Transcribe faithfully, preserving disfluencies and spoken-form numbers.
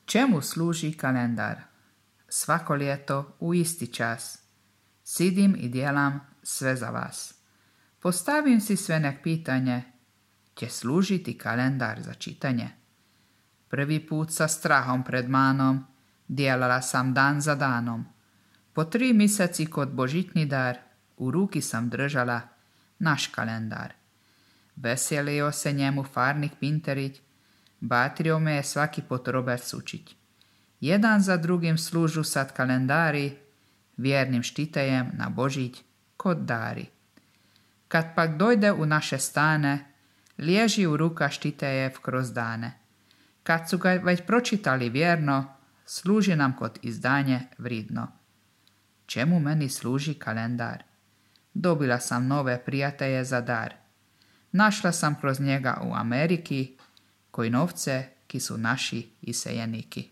Čemu služi kalendar? Svako ljeto u isti čas. Sidim i djelam sve za vas. Postavim si sve nek pitanje, će služiti kalendar za čitanje. Prvi put sa strahom pred manom, djelala sam dan za danom. Po tri mjeseci kod božitni dar, u ruki sam držala naš kalendar. Veselio se njemu farnik Pinterić, batrio me je svaki pot Robert Sučić. Jedan za drugim služu sad kalendari, vjernim štitejem na Božić kod dari. Kad pak dojde u naše stane, liježi u ruka štitejev kroz dane. Kad su ga već pročitali vjerno, služi nam kod izdanje vridno. Čemu meni služi kalendar? Dobila sam nove prijatelje za dar. Našla sam kroz njega u Ameriki, koji novce, ki su naši iseljeniki.